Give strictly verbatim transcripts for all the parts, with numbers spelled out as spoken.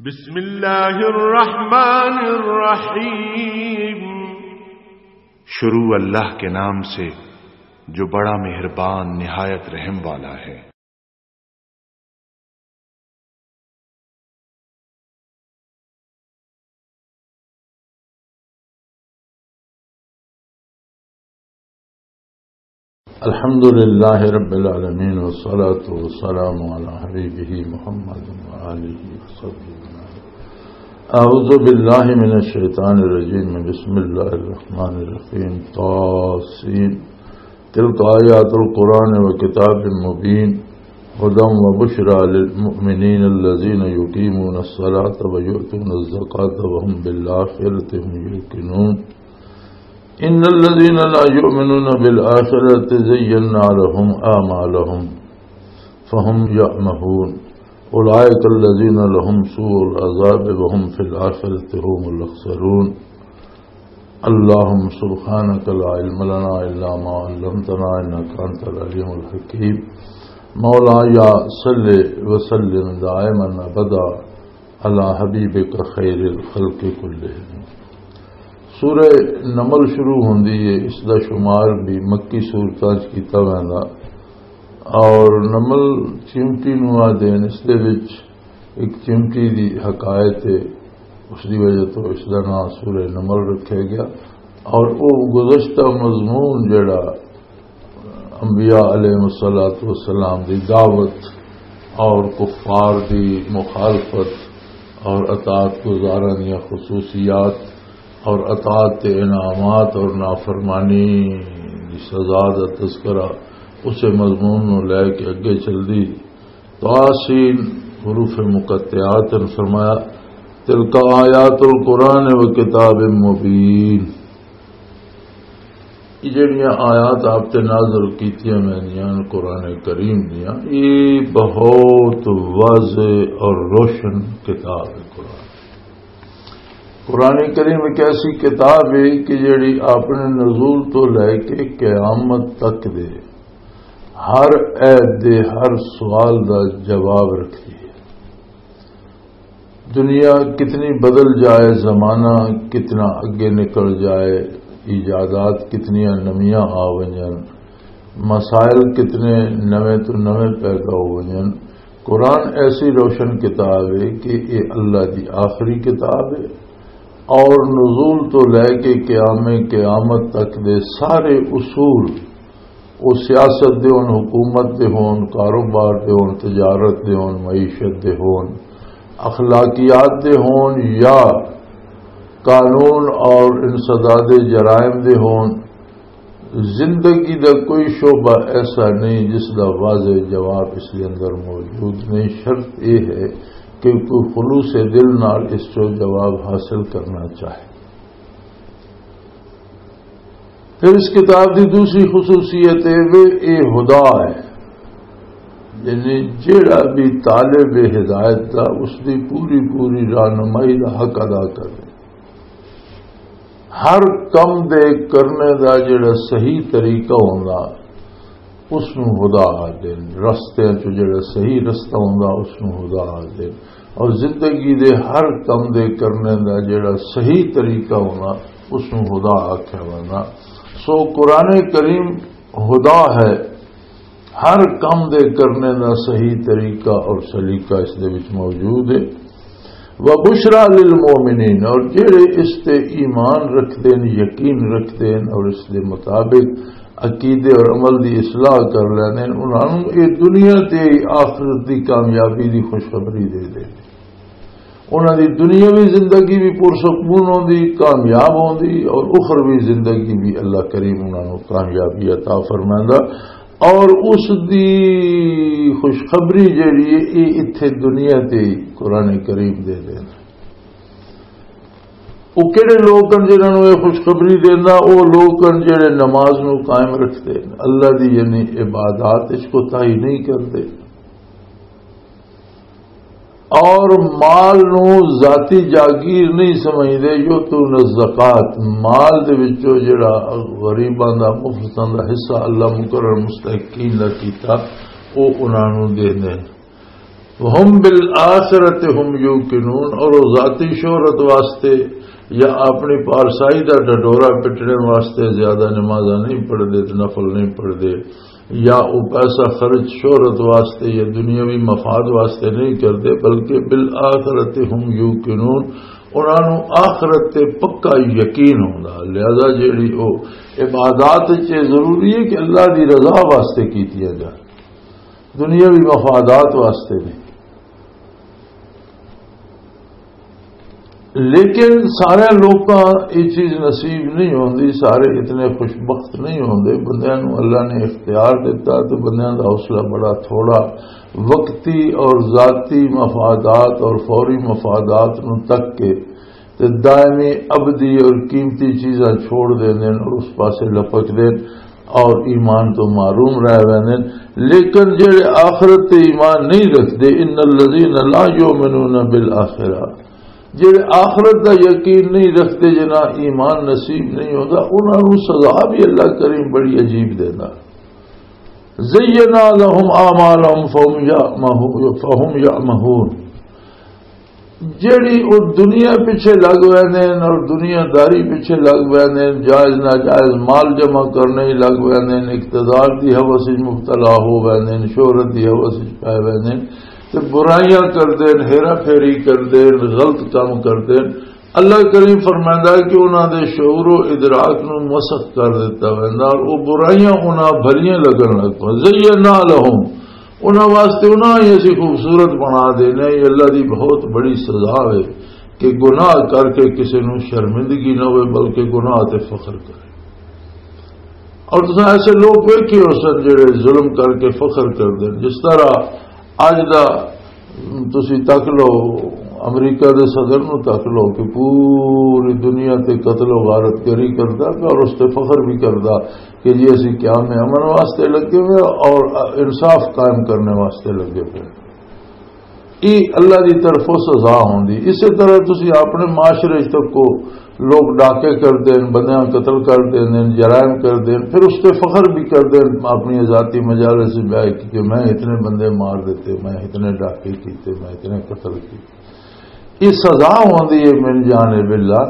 بسم اللہ الرحمن الرحیم۔ شروع اللہ کے نام سے، جو بڑا مہربان، نہایت رحم والا ہے۔ الحمد لله رب العالمين، والصلاة والسلام على حبيبه محمد وآله وصحبه أجمعين. أعوذ بالله من الشيطان الرجيم. بسم الله الرحمن الرحيم. طاسين. تلك آيات القرآن وكتاب مبين. هدى وبشرى للمؤمنين الذين يقيمون الصلاة ويؤتون الزكاة وهم بالآخرة هم يوقنون. إن الذين لا يؤمنون بالآخرة زينا لهم أعمالهم فهم يعمهون. أولئك الذين لهم سوء العذاب وهم في الآخرة هم الأخسرون. اللهم سبحانك لا علم لنا إلا ما علمتنا إنك أنت العليم الحكيم. مولاي صل وسلم دائما أبدا على حبيبك خير الخلق كلهم. سورہ نمل شروع ہوندی ہے، اس دا شمار بھی مکی سورتاں چ کیتا ویندا۔ اور نمل چیمٹی نوں آدھے نے، اس دے وچ ایک چیمٹی دی حکایت ہے، اس دی وجہ تو اس دا نام سورہ نمل رکھیا گیا۔ اور وہ گزشتہ مضمون جڑا انبیاء علیہ الصلوۃ والسلام دی دعوت اور کفار دی مخالفت اور اطاعت گزاراں دیاں خصوصیات اور اطاعت تے انعامات اور نافرمانی دی سزا دا تذکرہ، اسے مضمون نو لے کے اگے چلدی۔ طاسین، حروف مقطعات، نے فرمایا، "تلک آیات القرآن و کتاب مبین۔" یہ جڑیاں آیات آپ تے نازل کیتیاں ویندیاں نے قرآن کریم دیاں، یہ بہت واضح اور روشن کتاب ہے قرآن۔ قرآن کریم ایک ایسی کتاب ہے کہ جڑی اپنے نزول تو لے کے قیامت تک دے ہر عہد دے ہر سوال دا جواب رکھتی ہے۔ دنیا کتنی بدل جائے، زمانہ کتنا اگے نکل جائے، ایجادات کتنیاں نویاں آ ونجن، مسائل کتنے نویں تو نویں پیدا ہو ونجن، قرآن ایسی روشن کتاب ہے کہ یہ اللہ دی آخری کتاب ہے، اور نزول تو لے کے قیام قیامت تک دے سارے اصول، وہ سیاست دے ہون، حکومت دے ہون، کاروبار دے ہون، تجارت دے ہون، معیشت دے ہون، اخلاقیات دے ہون یا قانون اور انسداد جرائم دے ہون، زندگی دا کوئی شعبہ ایسا نہیں جس دا واضح جواب اس دے اندر موجود نہیں۔ شرط یہ ہے کہ کوئی خلوص دل نال اس چو جواب حاصل کرنا چاہے۔ پھر اس کتاب دی دوسری خصوصیت یہ وے، یہ ہدا ہے، یعنی جیڑا بھی طالب ہدایت دا، اس دی پوری پوری رہنمائی دا حق ادا کرے۔ ہر کم دے کرنے دا جڑا صحیح طریقہ ہوندا، اس نوں ہدا آکھدے نے۔ رستیاں چوں جڑا صحیح رستہ ہوندا، اس نوں ہدا آکھدے نے۔ اور زندگی دے ہر کم دے کرنے دا جڑا صحیح طریقہ ہوندا، اس نوں ہدا آکھیا ویندا۔ سو قرآن کریم ہدا ہے، ہر کم دے کرنے دا صحیح طریقہ اور سلیقہ اس دے وچ موجود ہے۔ وَبُشْرَىٰ لِلْمُؤْمِنِينَ، اور جڑے اس تے ایمان رکھدے نے، یقین رکھدے نے اور اس دے مطابق عقیدے اور عمل دی اصلاح کر لیندے نے، انہاں نوں اے دنیا تے ہی آخرت دی کامیابی دی خوشخبری دے دے۔ انہاں دی دنیاوی زندگی بھی پرسکون ہوندی، کامیاب ہوندی اور اخروی زندگی بھی اللہ کریم انہاں نوں کامیابی عطا فرمائندا۔ اور اس دی خوشخبری جڑی ہے، یہ اتھے دنیا تے ہی قرآن کریم دے دیندا۔ وہ کہڑے لوگ ہیں جنہاں نوں یہ خوشخبری دیندا؟ وہ لوگ ہیں جڑے نماز نوں قائم رکھتے ہیں، اللہ دی یعنی عبادات اس کو تاہی نہیں کرتے، اور مال نوں ذاتی جاگیر نہیں سمجھدے۔ یؤتون الزکات، مال دے وچوں جڑا غریباں دا، مفلساں دا حصہ اللہ مقرر مستحقین دا کیتا، او انہاں نوں دیندے نے۔ وَهُمْ بِالْآخِرَةِ هُمْ يُوقِنُونَ، اور وہ ذاتی شہرت واسطے یا اپنی پارسائی دا ڈڈورا پٹنے واسطے زیادہ نمازاں نہیں پڑھدے تے نفل نہیں پڑھدے، یا وہ پیسہ خرچ شہرت واسطے یا دنیاوی مفاد واسطے نہیں کردے، بلکہ بالآخرۃ ہم یوقنون، انہاں نوں آخرت تے پکا یقین ہوندا۔ لہذا جیڑی او عبادات وچ یہ ضروری ہے کہ اللہ دی رضا واسطے کیتیاں جان، دنیاوی مفادات واسطے نہیں۔ لیکن سارے لوکاں یہ چیز نصیب نہیں ہوندی، سارے اتنے خوش بخت نہیں ہوندے۔ بندیاں نوں اللہ نے اختیار دیتا تو بندیاں دا حوصلہ بڑا تھوڑا، وقتی اور ذاتی مفادات اور فوری مفادات نوں تک کے تے دائمی ابدی اور قیمتی چیزاں چھوڑ دیندے نے اور اس پاسے لپک دے اور ایمان تو محروم رہ ویندے نے۔ لیکن جڑے آخرت تے ایمان نہیں رکھدے، ان الذین لا یؤمنون بالآخرہ، جڑے آخرت دا یقین نہیں رکھدے، جنہاں ایمان نصیب نہیں ہوندا، انہاں نوں سزا بھی اللہ کریم بڑی عجیب دیندا۔ زینا لهم اعمالهم فهم یعمهون، فهم یعمهون۔ جیڑی او دنیا پیچھے لگ ویندے نے اور دنیا داری پیچھے لگ ویندے نے، جائز ناجائز مال جمع کرنے ہی لگ ویندے نے، اقتدار دی ہوس وچ مبتلا ہو ویندے نے، شہرت دی ہوس وچ پے ویندے نے، تے برائیاں کردے نے، ہیرا پھیری کردے نے، غلط کام کردے نے۔ اللہ کریم فرمائندا ہے کہ انہاں دے شعور و ادراک نوں مسخ کر دتا ویندا اور او برائیاں انہاں بھلیاں لگن لگ پن۔ زینا لهم، انہاں واسطے انہاں ہی اسی خوبصورت بنا دینے۔ یہ اللہ دی بہت بڑی سزا ہے کہ گناہ کر کے کسی نوں شرمندگی نہ ہوئے، بلکہ گناہ تے فخر کرے۔ اور تساں ایسے لوگ ویکھے ہو سن جڑے ظلم کر کے فخر کردے نے۔ جس طرح اج دا تسی تک لو، امریکہ دے صدر نو تک لو کہ پوری دنیا تے قتل و غارت گری کردا پیا اور اس تے فخر بھی کردا کہ جی اسی قیام امن واسطے لگے ہوئے اور انصاف قائم کرنے واسطے لگے ہوئے۔ یہ اللہ دی طرفوں سزا ہوندی۔ اسی طرح تسی اپنے معاشرے وچ تکو، لوگ ڈاکے کردے ہیں، بندیاں قتل کر دیندے ہیں، جرائم کردے ہیں، پھر اس تے فخر بھی کردے ہیں اپنی ذاتی مجالس وچ بیٹھ کے کہ میں اتنے بندے مار دیتے، میں اتنے ڈاکے کیتے، میں اتنے قتل کیتے۔ یہ سزا ہوندی ہے من جانب اللہ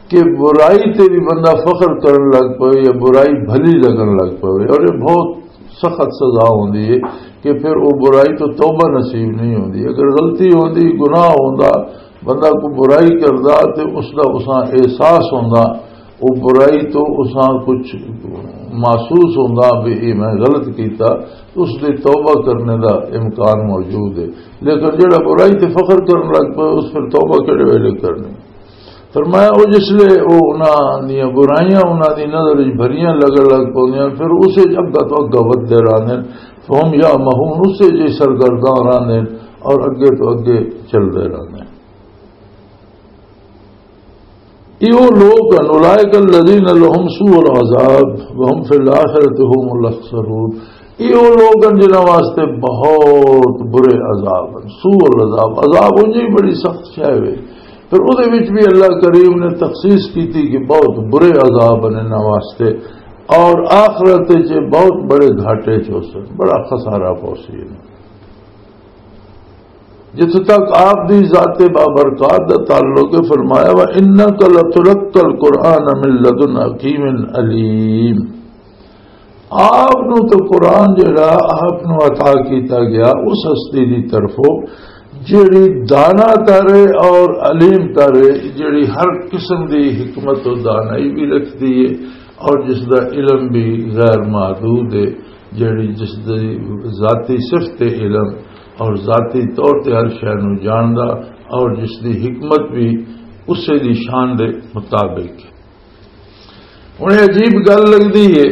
کہ برائی تے بھی بندہ فخر کرن لگ پے یا برائی بھلی لگن لگ پے، اور یہ بہت سخت سزا ہوندی ہے کہ پھر وہ برائی تو توبہ نصیب نہیں ہوندی۔ اگر غلطی ہوندی، گناہ ہوندا، بندہ کو برائی کردا تے اس دا اساں احساس ہوندا، وہ برائی تو اساں کچھ محسوس ہوندا بھی یہ میں غلط کیتا، اس دی توبہ کرنے دا امکان موجود ہے۔ لیکن جڑا برائی تے فخر کرن لگ پے، اس پھر توبہ کہڑے ویلے کرنی؟ فرمایا، او جس لے او انہاں دیاں برائیاں انہاں دی نظر وچ بھریاں لگن لگ پوندیاں، پھر اسے وچ اگا تو اگا ودھدے رہندے نے۔ فہم یا مہون، اسے جے سرگرداں رہندے نے اور اگے تو اگے چلدے رہندے نے۔ یہ وہ لوگ ہیں، اولئک الذین لهم سوء العذاب وهم فی الآخرۃ هم الاخسرون۔ یہ وہ لوگ ہیں جنہاں واسطے بہت برے عذاب ہیں۔ سوء العذاب، عذاب انجی بڑی سخت شے وے، پھر اودے وچ بھی اللہ کریم نے تخصیص کیتی کہ بہت برے عذاب ہیں انہاں واسطے، اور آخرت وچ بہت بڑے گھاٹے چ ہوسن، بڑا خسارہ پہنچی انہاں۔ جتھے تک آپ دی ذات بابرکات دا تعلق ہے، فرمایا، وَإِنَّكَ لَتُلَقَّى الْقُرْآنَ مِنْ لَدُنْ حَكِيمٍ عَلِيمٍ۔ آپ نو تو قرآن جڑا آپ نو عطا کیتا گیا اس ہستی دی طرفوں، جڑی دانا تر ہے اور علیم تر ہے، جڑی ہر قسم دی حکمت و دانائی بھی رکھدی ہے اور جس دا علم بھی غیر محدود ہے، جڑی جس دی ذاتی صفت علم اور ذاتی طور تے ہر شے نو جاندا اور جس دی حکمت بھی اسے دی شان دے مطابق ہے۔ ہن یہ عجیب گل لگدی ہے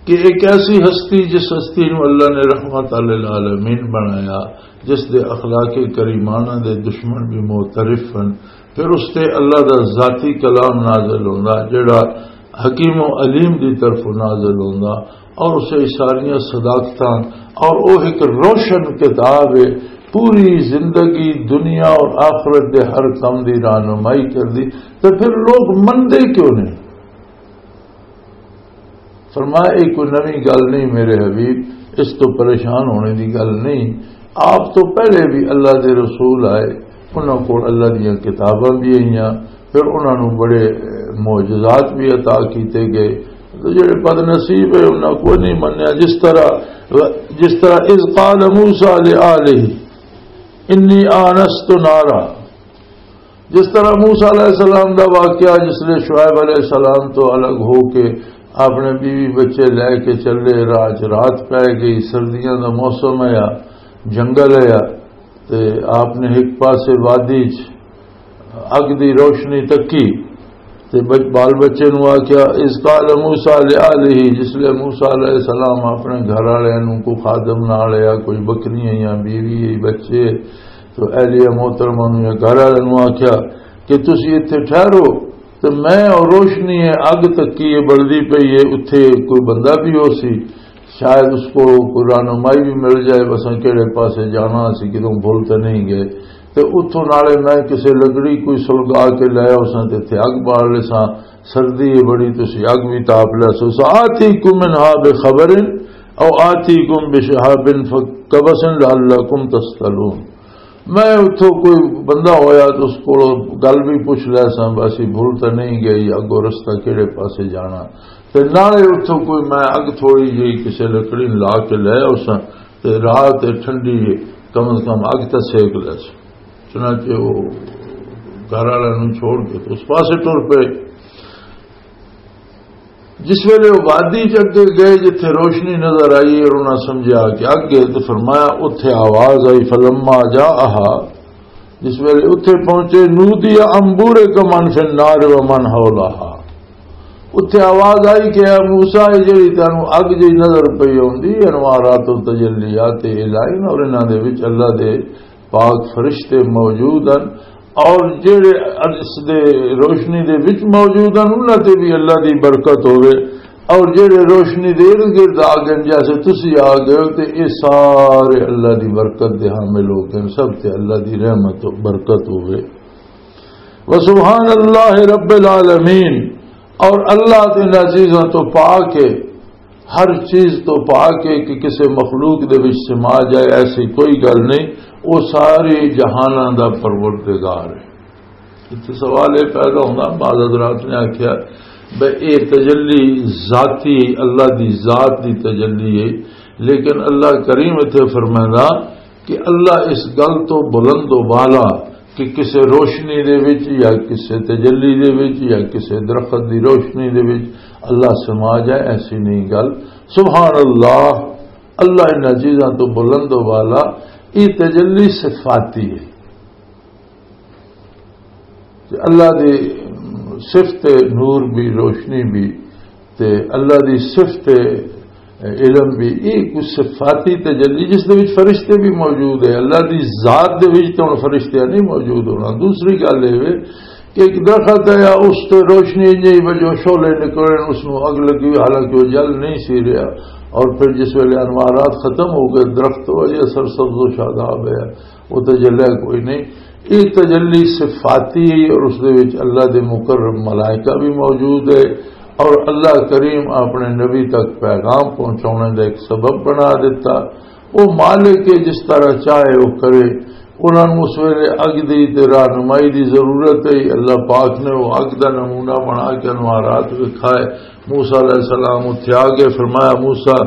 کہ ایک ایسی ہستی، جس ہستی نو اللہ نے رحمت للعالمین بنایا، جس دے اخلاق کریمانہ دے دشمن بھی معترف ہن، پھر اس تے اللہ دا ذاتی کلام نازل ہوندا، جڑا حکیم و علیم دی طرف نازل ہوندا، اور اسے ساریاں صداقتاں، اور وہ ایک روشن کتاب ہے، پوری زندگی دنیا اور آخرت دے ہر کم دی رہنمائی کردی، تو پھر لوگ مندے کیوں نہیں؟ فرمایا، یہ کوئی نویں گل نہیں میرے حبیب، اس تو پریشان ہونے دی گل نہیں۔ آپ تو پہلے بھی اللہ دے رسول آئے، انہاں کول اللہ دیاں کتاباں بھی آئیاں، پھر انہاں نوں بڑے، اے، معجزات بھی عطا کیتے گئے۔ تو جڑے بد نصیب ہے، انہاں کو نہیں منیا۔ جس طرح، جس طرح اذ قال موسیٰ لآلہ انی آنست نارا، جس طرح موسیٰ علیہ السلام دا واقعہ، جس لئے شعیب علیہ السلام تو الگ ہو کے اپنے بیوی بچے لے کے چلے، راہ چ رات پے گئی، سردیاں دا موسم آیا، جنگل آیا، تے آپ نے ایک پاسے وادی چ اگ دی روشنی تکی، تے بچ-، بال بچے نوں آکھیا، اذ قال موسیٰ لآلہ، جس لئے موسیٰ علیہ السلام اپنے گھر والے نوں، کو خادم نال یا کوئی بکریاں یا بیوی یا بچے، تو اہلیہ محترمہ نوں یا گھر والے نوں آکھیا کہ تسی اتھے ٹھہرو، تے میں اور روشنی ہے، اگ تکی ہے، بلدی پئی ہے، اتھے کوئی بندہ بھی ہو سی، شاید اس کو کوئی رہنمائی بھی مل جائے، بس کہڑے پاسے جانا سی، کدوں بھول تے نہیں گئے۔ تے اتھوں نالے میں کسے لکڑی کوئی سلگا کے لے آؤ ساں، تے اتھے اگ بال لے ساں، سردی ہے بڑی، تسی اگ بھی تاپ لے سو۔ سآتیکم منہا بخبر او آتیکم بشہاب قبس لعلکم تصطلون۔ میں اتھوں کوئی بندہ ہویا تو اس کو گل بھی پوچھ لے ساں، بس یہ بھول تے نہیں گئی، اگوں رستہ کہڑے پاسے جانا۔ تے نالے اتھوں کوئی میں اگ تھوڑی جہی کسے لکڑی لا کے لے آؤ ساں، تے رات ہے ٹھنڈی ہے، کم از کم اگ تے سیک لے ساں۔ چنانچہ وہ گھر والے نوں چھوڑ کے تے اس پاسے ٹر پئے۔ جس ویلے وہ وادی چ اگے گئے، جتھے روشنی نظر آئی اور انہاں سمجھا کہ اگ ہے، تو فرمایا، اتھے آواز آئی، فلما جاءہا، جس ویلے اتھے پہنچے، نودی ان بورک من فی النار و من حولہا۔ اتھے آواز آئی کہ اے موسیٰ، یہ جڑی تینوں اگ جی نظر پئی ہوندی، انوارات و تجلیات الہی نے، اور انہاں دے وچ اللہ دے پاک فرشتے موجود ہیں، اور جڑے اس دے روشنی دے وچ موجود ہیں، انہاں تے بھی اللہ دی برکت ہوے، اور جڑے روشنی دے ارد گرد آ گئے، جیسے تسی آ گئے ہو، تے یہ سارے اللہ دی برکت دے حامل ہو گئے، سب تے اللہ دی رحمت و برکت ہوے۔ وسبحان اللہ رب العالمین، اور اللہ تے انہاں چیزاں تو پاک ہے، ہر چیز تو پاک ہے کہ کسے مخلوق دے وچ سما جائے، ایسی کوئی گل نہیں۔ وہ ساری جہاناں دا پروردگار ہے۔ اتنے سوال یہ پیدا ہونا، بعض حضرات نے آخیا، بھئی، یہ تجلی ذاتی، اللہ دی ذات دی تجلی ہے، لیکن اللہ کریم اتنے فرمائنا کہ اللہ اس گل تو بلند و بالا کہ کسے روشنی دے وچ یا کسے تجلی دے وچ یا کسے درخت دی روشنی دے وچ اللہ سما جائے، ایسی نہیں گل۔ سبحان اللہ، اللہ انہاں چیزاں تو بلند و بالا۔ یہ تجلی صفاتی ہے۔ تے اللہ دی صفت نور بھی، روشنی بھی، تے اللہ دی صفت علم بھی، یہ کچھ صفاتی تجلی جس دے وچ فرشتے بھی موجود ہے۔ اللہ دی ذات دے وچ تو ہن فرشتے نہیں موجود ہونا۔ دوسری گل یہ وے کہ ایک درخت ہے یا اس تے روشنی جی وجہ شعلے نکلے، اس نوں اگ لگی ہوئی، حالانکہ وہ جل نہیں سی رہا، اور پھر جس ویلے انوارات ختم ہو گئے، درخت تو اجے سرسبز و شاداب ہے، وہ تو جلیا کوئی نہیں۔ یہ تجلی صفاتی ہے اور اس دے وچ اللہ دے مقرب ملائکہ بھی موجود ہے، اور اللہ کریم اپنے نبی تک پیغام پہنچانے دا ایک سبب بنا دیتا۔ وہ مالک ہے، جس طرح چاہے وہ کرے۔ انہاں نوں اس ویلے اگ دی تے رہنمائی دی ضرورت ہے۔ اللہ پاک نے وہ اگ دا نمونہ بنا کے انوارات وکھائے۔ موسیٰ علیہ السلام اتھے آ گئے، فرمایا، موسیٰ،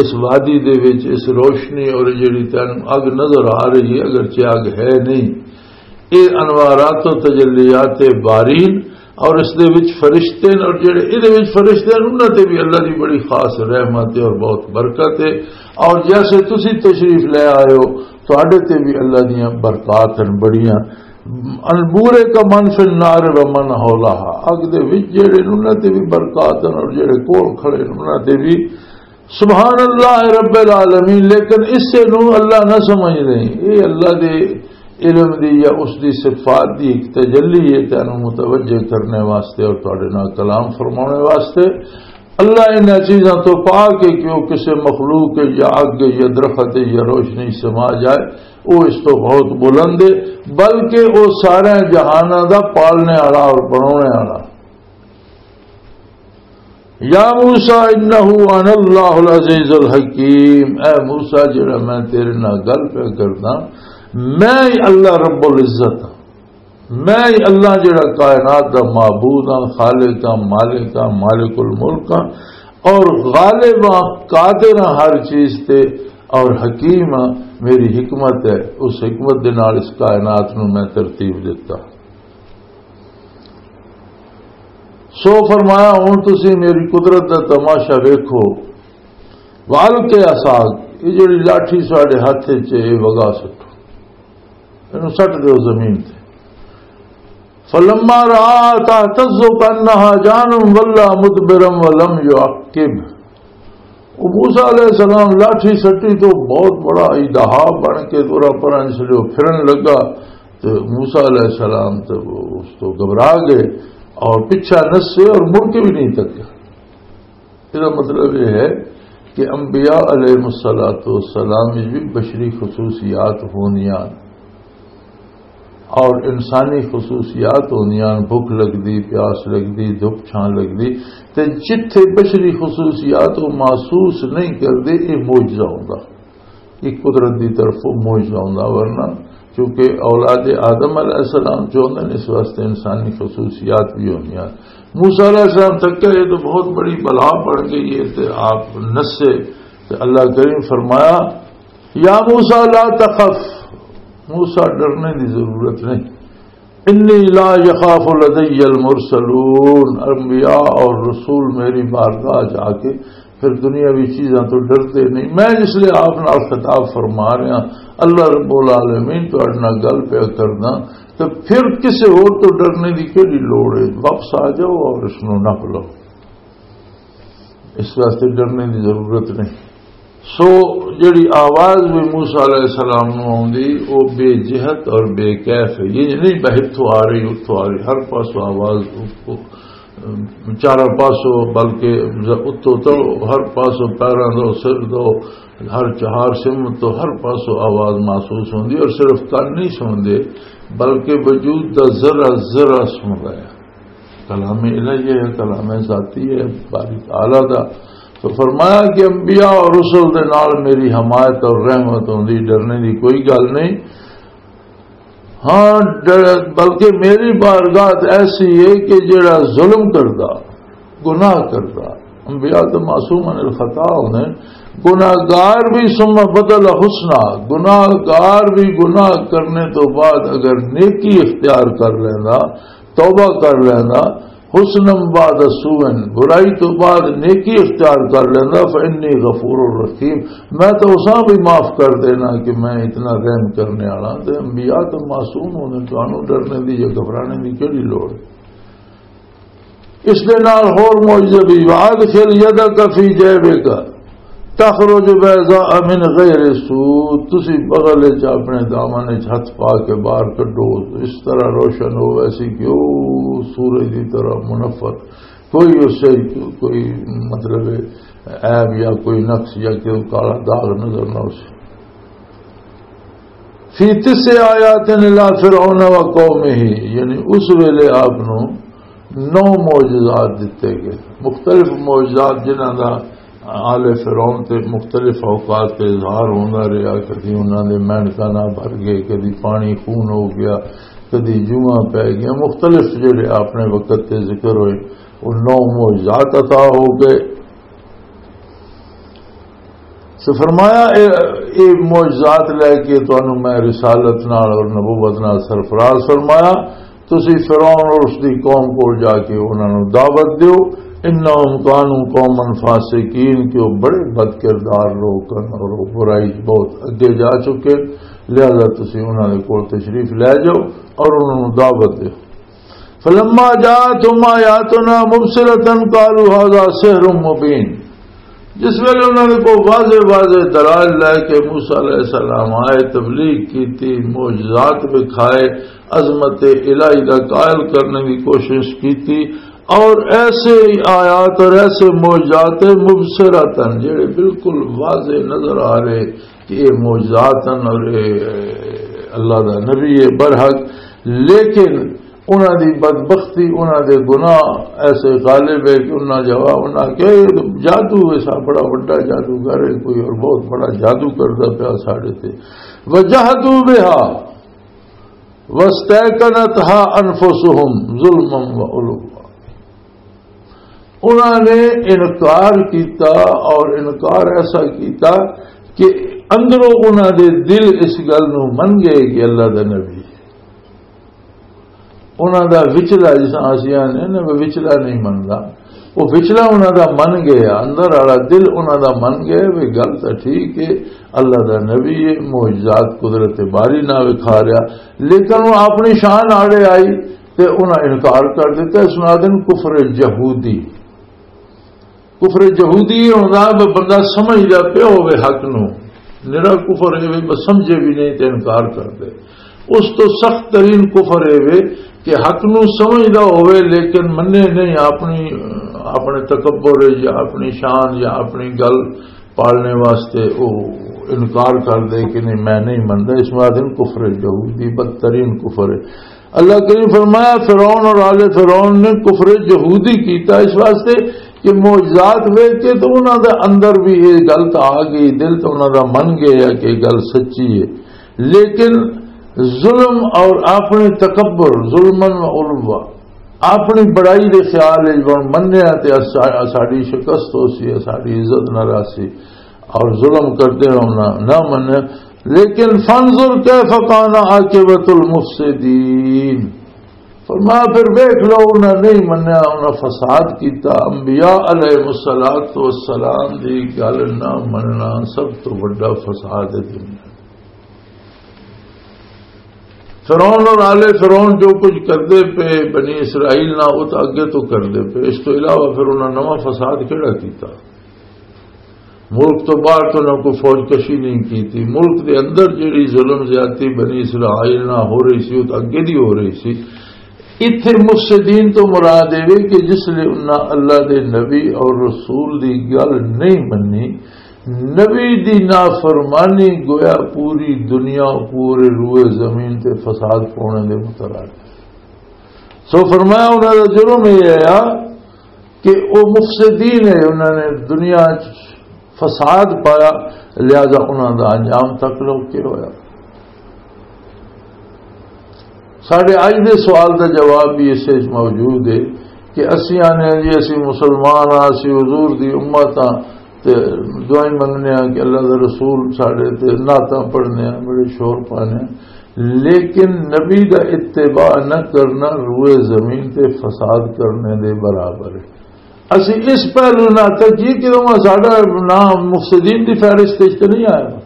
اس وادی دے وچ اس روشنی اور جڑی تینوں اگ نظر آ رہی ہے، اگرچہ اگ ہے نہیں، اے انوارات و تجلیات بارین، اور اس دے وچ فرشتے نے، اور جڑے اے دے وچ فرشتے ہیں، انہاں تے بھی اللہ دی بڑی خاص رحمت ہے اور بہت برکت ہے۔ اور جیسے تسی تشریف لے آئے ہو، تواڈے تے بھی اللہ دیاں برکات ہیں بڑیاں۔ انبورے کا من فی النار و من حولہا، اگ دے وچ جڑے نے، انہاں تے بھی برکات ہیں، اور جڑے کول کھڑے نے، انہاں تے بھی۔ سبحان اللہ رب العالمین۔ لیکن اسے نو اللہ نہ سمجھ نہیں، یہ اللہ دے علم دی یا اس دی صفات دی ایک تجلی ہے، تینوں متوجہ کرنے واسطے اور تواڈے نال کلام فرمانے واسطے۔ اللہ انہاں چیزاں تو پاک ہے کہ وہ کسے مخلوق ہے یا اگ ہے یا درخت ہے یا روشنی سما جائے، وہ اس تو بہت بلند ہے، بلکہ وہ سارے جہاناں دا پالنے والا اور بنانے والا۔ یا موسیٰ انہ انا اللہ العزیز الحکیم، اے موسیٰ، جڑا میں تیرے نال گل پیا کردا، میں ہی اللہ رب العزت ہاں، میں ہی اللہ جڑا کائنات دا معبود ہاں، خالق ہاں، مالک ہاں، مالک الملک ہاں، اور غالب ہاں، قادر ہاں ہر چیز تے، اور حکیم ہاں، میری حکمت ہے، اس حکمت دے نال اس کائنات نو میں ترتیب دتا۔ سو فرمایا، ہن تسی میری قدرت دا تماشا ویکھو۔ وَأَلْقِ عَصَاكَ، یہ جڑی لاٹھی ساڈے ہاتھ وچ ہے، یہ وگا سٹو، اینوں سٹ دیو زمین تے۔ فَلَمَّا رَآهَا تَهْتَزُّ كَأَنَّهَا جَانٌ وَلَّىٰ مُدْبِرًا وَلَمْ يُعَقِّبْ۔ وہ موسیٰ علیہ السلام لاٹھی سٹی تو بہت بڑا ایدہا بن کے دورا پران چلے، وہ پھرن لگا۔ تو موسیٰ علیہ السلام تو وہ اس تو گھبرا گئے اور پیچھا نسے اور مڑ کے بھی نہیں تکے۔ اس کا مطلب یہ ہے کہ انبیاء علیہ الصلوۃ والسلام میں بھی بشری خصوصیات ہوندیاں اور انسانی خصوصیات ہوندیاں، بھوک لگدی، پیاس لگدی، دھوپ چھاں لگدی، تے جتھے بشری خصوصیات وہ محسوس نہیں کردے، یہ معجزہ ہوندا۔ یہ قدرت دی طرف وہ معجزہ ہوندا، ورنہ چونکہ اولاد آدم علیہ السلام جو ہوندے نے، اس واسطے انسانی خصوصیات بھی ہوندیاں۔ موسیٰ علیہ السلام تک کہ یہ تو بہت بڑی بلا پڑ گئی ہے، تے آپ نسے، تے اللہ کریم فرمایا، یا موسیٰ لا تخف، موسیٰ ڈرنے دی ضرورت نہیں، انی لا یخاف لدی المرسلون، انبیاء اور رسول میری بارگاہ جا کے پھر دنیاوی چیزاں تو ڈردے نہیں۔ میں جس لئے آپ نال خطاب فرما رہا، اللہ رب العالمین تہاڈے نال گل پیا کردا، تو پھر کسے ہور تو ڈرنے دی کیڑی لوڑ ہے؟ واپس آ جاؤ اور اس نو نپ لو۔ اس واسطے ڈرنے دی ضرورت نہیں۔ سو جڑی آواز بھی موسیٰ علیہ السلام نو آوندی، او بے جہت اور بے کیف ہے۔ یہ نہیں بہت تو آ رہی، اتھوں آ رہی، ہر پاسوں آواز، چاروں پاسوں، بلکہ اتوں تو ہر پاسوں، پیراں دو، سر دو، ہر چہار سمت تو ہر پاسوں آواز محسوس ہوندی، اور صرف کان نہیں سن دے، بلکہ وجود دا ذرا ذرا سندا ہے۔ کلام الہی ہے، کلام ذاتی ہے، باری تعالیٰ دا۔ تو فرمایا کہ انبیاء اور رسل دے نال میری حمایت اور رحمت ہوندی، ڈرنے دی کوئی گل نہیں۔ ہاں، ڈر-، بلکہ میری بارگاہ ایسی ہے کہ جڑا ظلم کردا، گناہ کردا، انبیاء تو معصوم عن الخطا ہوندے، گناہگار بھی ثم بدل حسنا، گناہگار بھی گناہ کرنے تو بعد اگر نیکی اختیار کر لیندا، توبہ کر لیندا، حسنا بعد سوء، برائی تو بعد نیکی اختیار کر لیندا، فإنی غفور رحیم، میں تو اساں بھی معاف کر دینا کہ میں اتنا رحم کرنے والا۔ تے انبیاء تو معصوم ہوندے، تانوں ڈرنے دی یا گھبرانے دی کیڑی لوڑ؟ اس دے نال ہور معجزے بھی، وادخل یدک فی جیبک تخرج بیضاء من غیر سوء، تسی بغل وچ اپنے دامن وچ ہتھ پا کے باہر کڈو، اس طرح روشن ہو ویسی کہ او سورج دی طرح منفت، کوئی اس سے کوئی مطلب عیب یا کوئی نقص یا کوئی کالا داغ نظر نہ اسے۔ فی تسع آیات الی فرعون و قومہ، یعنی اس ویلے آپ نو نو معجزات دتے گئے، مختلف معجزات جنہاں دا آل فرعون تے مختلف اوقات تے اظہار ہوندا رہیا۔ کدی انہاں دے مینڈکاں نال بھر گئے، کدی پانی خون ہو گیا، کدی جواں پے گیا، مختلف جڑے اپنے وقت تے ذکر ہوئے، وہ نو معجزات عطا ہو گئے۔ سو فرمایا، اے، اے معجزات لے کے تانوں میں رسالت نال اور نبوت نال سرفراز فرمایا۔ تسی فرعون اور اس دی قوم کول جا کے انہاں نوں دعوت دیو، انہم کانوا قوما فاسقین، کہ وہ بڑے بد کردار لوگ ہن اور وہ برائی بہت اگے جا چکے، لہذا تسی انہاں دے کول تشریف لے جاؤ اور انہاں نوں دعوت دیو۔ فلما جاءتهم آیاتنا مبصرة قالوا هذا سحر مبین، جس ویلے انہاں نے کو واضح واضح دلائل لے کے موسیٰ علیہ السلام آئے، تبلیغ کیتی، معجزات دکھائے، عظمت الہی دا قائل کرنے کی کوشش کیتی، اور ایسے ہی آیات اور ایسے معجزات مبصرتاً، جڑے بالکل واضح نظر آ رہے کہ یہ معجزات ہیں اور یہ اللہ دا نبی ہے برحق، لیکن انہاں دی بدبختی، انہاں دے گناہ ایسے غالب ہے کہ انہاں جواب، انہاں کہ جادو ایسا بڑا وڈا جادوگر ہے کوئی، اور بہت بڑا جادو کردا پیا ساڈے تے۔ وجحدوا بها واستيقنتها أنفسهم ظلما وعلوا۔ انہاں نے انکار کیتا، اور انکار ایسا کیتا کہ اندروں انہاں دے دل اس گل نو من گئے کہ اللہ دا نبی ہے۔ انہاں دا وچلا، جس طرح اسی آنے نا، وہ وچلا نہیں مندا، وہ وچلا انہاں دا من گیا، اندر والا دل انہاں دا من گیا، وہ گل تو ٹھیک ہے، اللہ دا نبی ہے، معجزات قدرت باری نہ وکھا رہا، لیکن وہ اپنی شان آڑے آئی تے انہاں انکار کر دیتا۔ اس نو آدن کفر یہودی۔ کفر یہودی یہ ہوندا ہے بندہ سمجھدا پیا ہوے حق نو، نرا کفر ہے بس سمجھے بھی نہیں تے انکار کر دے۔ اس تو سخت ترین کفر ہے وے کہ حق نو سمجھدا ہوے لیکن منے نہیں، اپنی، اپنے تکبر یا اپنی شان یا اپنی گل پالنے واسطے وہ انکار کر دے کہ نہیں، میں نہیں مندا۔ اس واسطے کفر یہودی بدترین کفر ہے۔ اللہ کریم فرمایا، فرعون اور آل فرعون نے کفر یہودی کیتا اس واسطے کہ معجزات ویکھ کے تو انہاں دے اندر بھی یہ گل تو آ گئی، دل تو انہاں دا من گیا کہ یہ گل سچی ہے، لیکن ظلم اور اپنے تکبر، ظلمن و علوا، اپنی بڑائی دے خیال وچ بن منیا تے اسا-، ساڈی شکست ہو سی، ساڈی عزت نہ رہسی، اور ظلم کرتے ہونا نہ منیا۔ لیکن فانظر کیف کان عاقبۃ المفسدین، فرمایا پھر ویکھ لو، انہاں نہیں منیا، انہاں فساد کیتا۔ انبیاء علیہ الصلوۃ والسلام دی گل نہ مننا سب تو بڑا فساد ہے دنیا۔ فرعون اور آل فرعون جو کچھ کردے پے بنی اسرائیل نہ، وہ تو اگے تو کردے پے، اس تو علاوہ پھر انہاں نواں فساد کیڑا کیتا؟ ملک تو باہر تو نہ کوئی فوج کشی نہیں کی تھی، ملک دے اندر جڑی ظلم زیادتی بنی اسرائیل نہ ہو رہی سی، وہ تو اگے دی ہو رہی سی۔ اتھے مفسدین تو مراد اے وے کہ جس لے انہاں اللہ دے نبی اور رسول دی گل نہیں منی، نبی دی نافرمانی، گویا پوری دنیا، پورے روئے زمین تے فساد پاؤنے دے مترادف۔ سو فرمایا، انہاں دا جرم یہ آیا کہ وہ مفسدین ہے، انہاں نے دنیا چ فساد پایا، لہذا انہاں دا انجام تک لو کے ہویا۔ ساڈے اج دے سوال دا جواب بھی اس وچ موجود ہے کہ اسی آنے ہاں جی، اسی مسلمان ہاں، اسی حضور دی امت ہاں، تے دعائیں منگنے ہاں کہ اللہ دا رسول ساڈے تے نعتاں پڑھنے ہاں، بڑے شور پانے ہاں، لیکن نبی دا اتباع نہ کرنا روئے زمین تے فساد کرنے دے برابر ہے۔ اسی اس پہلو نہ تکیے کہ وہ ساڈا نام مفسدین دی فہرست وچ تے نہیں آیا۔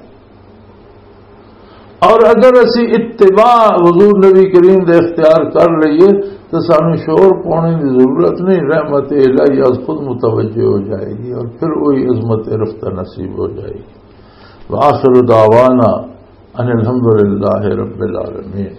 اور اگر اسی اتباع حضور نبی کریم دے اختیار کر لئیے تو سانو شور پانے دی ضرورت نہیں، رحمت الہی از خود متوجہ ہو جائے گی اور پھر وہی عظمت رفتہ نصیب ہو جائے گی۔ وآخر دعوانا ان الحمدللہ رب العالمین۔